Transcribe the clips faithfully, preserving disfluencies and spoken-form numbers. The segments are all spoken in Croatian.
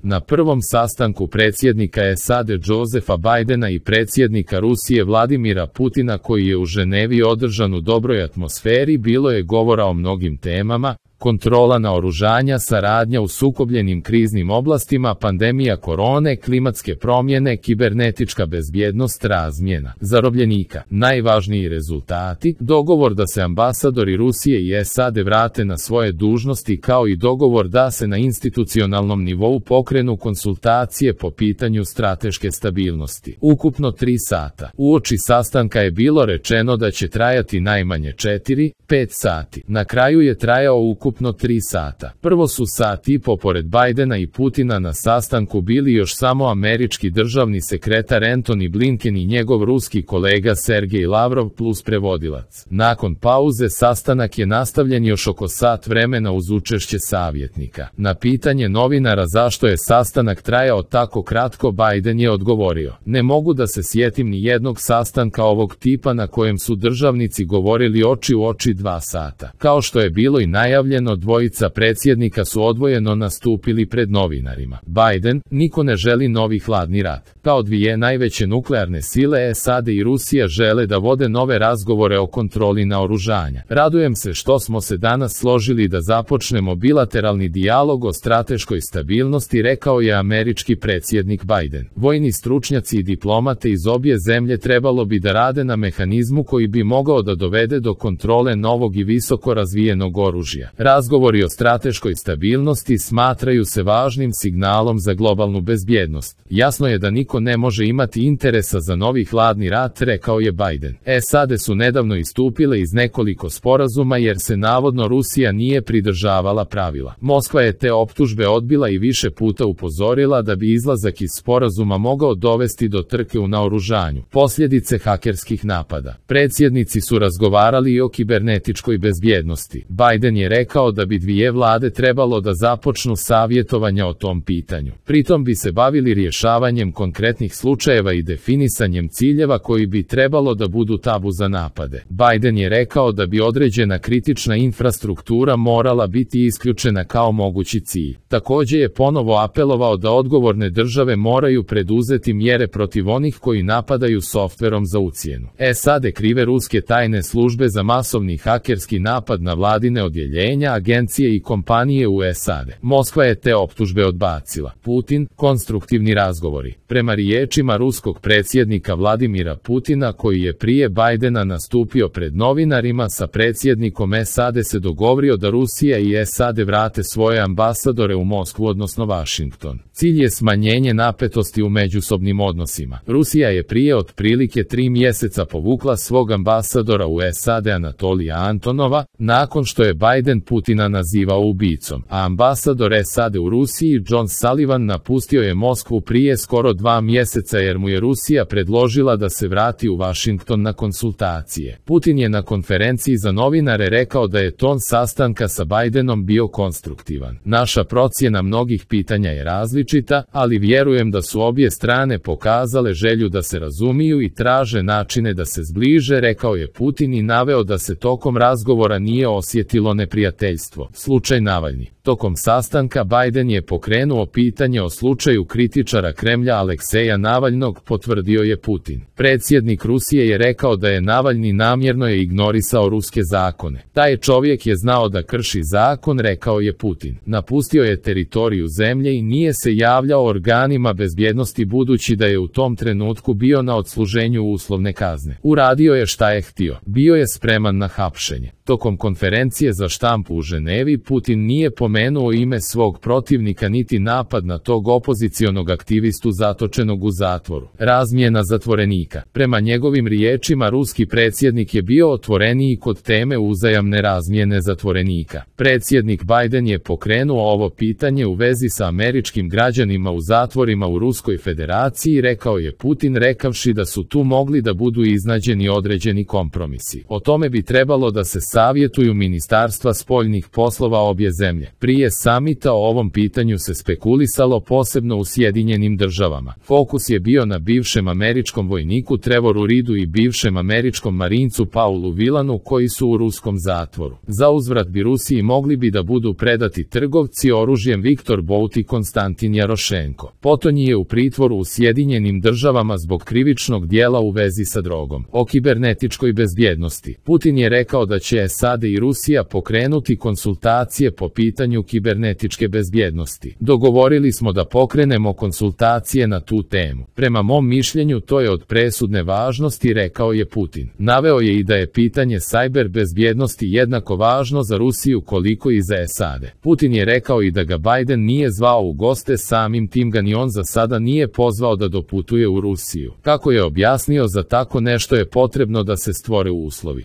Na prvom sastanku predsjednika S A D Josepha Bidena i predsjednika Rusije Vladimira Putina, koji je u Ženevi održan u dobroj atmosferi, bilo je govora o mnogim temama: kontrola naoružanja, saradnja u sukobljenim kriznim oblastima, pandemija korone, klimatske promjene, kibernetička bezbjednost, razmjena zarobljenika. Najvažniji rezultati: dogovor da se ambasadori Rusije i S A D vrate na svoje dužnosti, kao i dogovor da se na institucionalnom nivou pokrenu konsultacije po pitanju strateške stabilnosti. Ukupno tri sata. Uoči sastanka je bilo rečeno da će trajati najmanje četiri, pet sati. Na kraju je trajao ukupno ukupno tri sata. Prvo su sat i po pored Bidena i Putina na sastanku bili još samo američki državni sekretar Antony Blinken i njegov ruski kolega Sergej Lavrov plus prevodilac. Nakon pauze sastanak je nastavljen još oko sat vremena uz učešće savjetnika. Na pitanje novinara zašto je sastanak trajao tako kratko, Biden je odgovorio: ne mogu da se sjetim ni jednog sastanka ovog tipa na kojem su državnici govorili oči u oči dva sata. Kao što je bilo i najavljeno, dvojica predsjednika su odvojeno nastupili pred novinarima. Biden: niko ne želi novi hladni rat. Kao dvije najveće nuklearne sile, S A D i Rusija žele da vode nove razgovore o kontroli naoružanja. Radujem se što smo se danas složili da započnemo bilateralni dijalog o strateškoj stabilnosti, rekao je američki predsjednik Biden. Vojni stručnjaci i diplomate iz obje zemlje trebalo bi da rade na mehanizmu koji bi mogao da dovede do kontrole novog i visoko razvijenog oružja. Razgovori o strateškoj stabilnosti smatraju se važnim signalom za globalnu bezbjednost. Jasno je da niko ne može imati interesa za novi hladni rat, rekao je Biden. S A D su nedavno istupile iz nekoliko sporazuma jer se navodno Rusija nije pridržavala pravila. Moskva je te optužbe odbila i više puta upozorila da bi izlazak iz sporazuma mogao dovesti do trke u naoružanju. Posljedice hakerskih napada. Predsjednici su razgovarali i o kibernetičkoj bezbjednosti. Biden je rekao da bi dvije vlade trebalo da započnu savjetovanja o tom pitanju. Pritom bi se bavili rješavanjem konkretnih slučajeva i definisanjem ciljeva koji bi trebalo da budu tabu za napade. Biden je rekao da bi određena kritična infrastruktura morala biti isključena kao mogući cilj. Također je ponovo apelovao da odgovorne države moraju preduzeti mjere protiv onih koji napadaju softverom za ucjenu. S A D krive ruske tajne službe za masovni hakerski napad na vladine odjeljenja, agencije i kompanije u S A D. Moskva je te optužbe odbacila. Putin: konstruktivni razgovori. Prema riječima ruskog predsjednika Vladimira Putina, koji je prije Bidena nastupio pred novinarima, sa predsjednikom S A D se dogovorio da Rusija i S A D vrate svoje ambasadore u Moskvu, odnosno Washington. Cilj je smanjenje napetosti u međusobnim odnosima. Rusija je prije otprilike tri mjeseca povukla svog ambasadora u S A D Anatolija Antonova, nakon što je Biden Putina nazivao ubicom, a ambasador S A D u Rusiji John Sullivan napustio je Moskvu prije skoro dva mjeseca jer mu je Rusija predložila da se vrati u Washington na konsultacije. Putin je na konferenciji za novinare rekao da je ton sastanka sa Bidenom bio konstruktivan. Naša procjena mnogih pitanja je različita, ali vjerujem da su obje strane pokazale želju da se razumiju i traže načine da se zbliže, rekao je Putin i naveo da se tokom razgovora nije osjetilo neprijateljstvo. Slučaj Navalni. Tokom sastanka Biden je pokrenuo pitanje o slučaju kritičara Kremlja Alekseja Navalnog, potvrdio je Putin. Predsjednik Rusije je rekao da je Navalni namjerno je ignorisao ruske zakone. Taj čovjek je znao da krši zakon, rekao je Putin. Napustio je teritoriju zemlje i nije se javljao organima bezbjednosti budući da je u tom trenutku bio na odsluženju uslovne kazne. Uradio je šta je htio. Bio je spreman na hapšenje. Tokom konferencije za štampu u Ženevi Putin nije pomenuo ime svog protivnika niti napad na tog opozicionog aktivistu zatočenog u zatvoru. Razmjena zatvorenika. Prema njegovim riječima, ruski predsjednik je bio otvoreniji kod teme uzajamne razmjene zatvorenika. Predsjednik Biden je pokrenuo ovo pitanje u vezi sa američkim građanima u zatvorima u Ruskoj federaciji, rekao je Putin, rekavši da su tu mogli da budu iznađeni određeni kompromisi. O tome bi trebalo da se savjetuju ministarstva spoljnih poslova obje zemlje. Prije samita o ovom pitanju se spekulisalo posebno u Sjedinjenim državama. Fokus je bio na bivšem američkom vojniku Trevoru Reedu i bivšem američkom marincu Paulu Wilanu koji su u ruskom zatvoru. Za uzvrat bi Rusiji mogli bi da budu predati trgovci oružjem Viktor Bout i Konstantin Jarošenko. Potonji je u pritvoru u Sjedinjenim državama zbog krivičnog dijela u vezi sa drogom. O kibernetičkoj bezbjednosti. Putin je rekao da će S A D i Rusija pokrenuti konsultacije po pitanju kibernetičke bezbjednosti. Dogovorili smo da pokrenemo konsultacije na tu temu. Prema mom mišljenju to je od presudne važnosti, rekao je Putin. Naveo je i da je pitanje sajber bezbjednosti jednako važno za Rusiju koliko i za S A D. Putin je rekao i da ga Biden nije zvao u goste, samim tim ga ni on za sada nije pozvao da doputuje u Rusiju. Kako je objasnio, za tako nešto je potrebno da se stvore uslovi.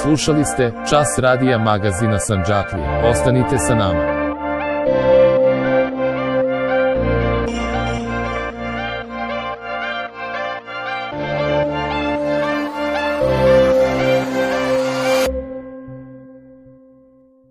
Slušali ste Čas radija magazina Sandžaklija. Ostanite sa nama.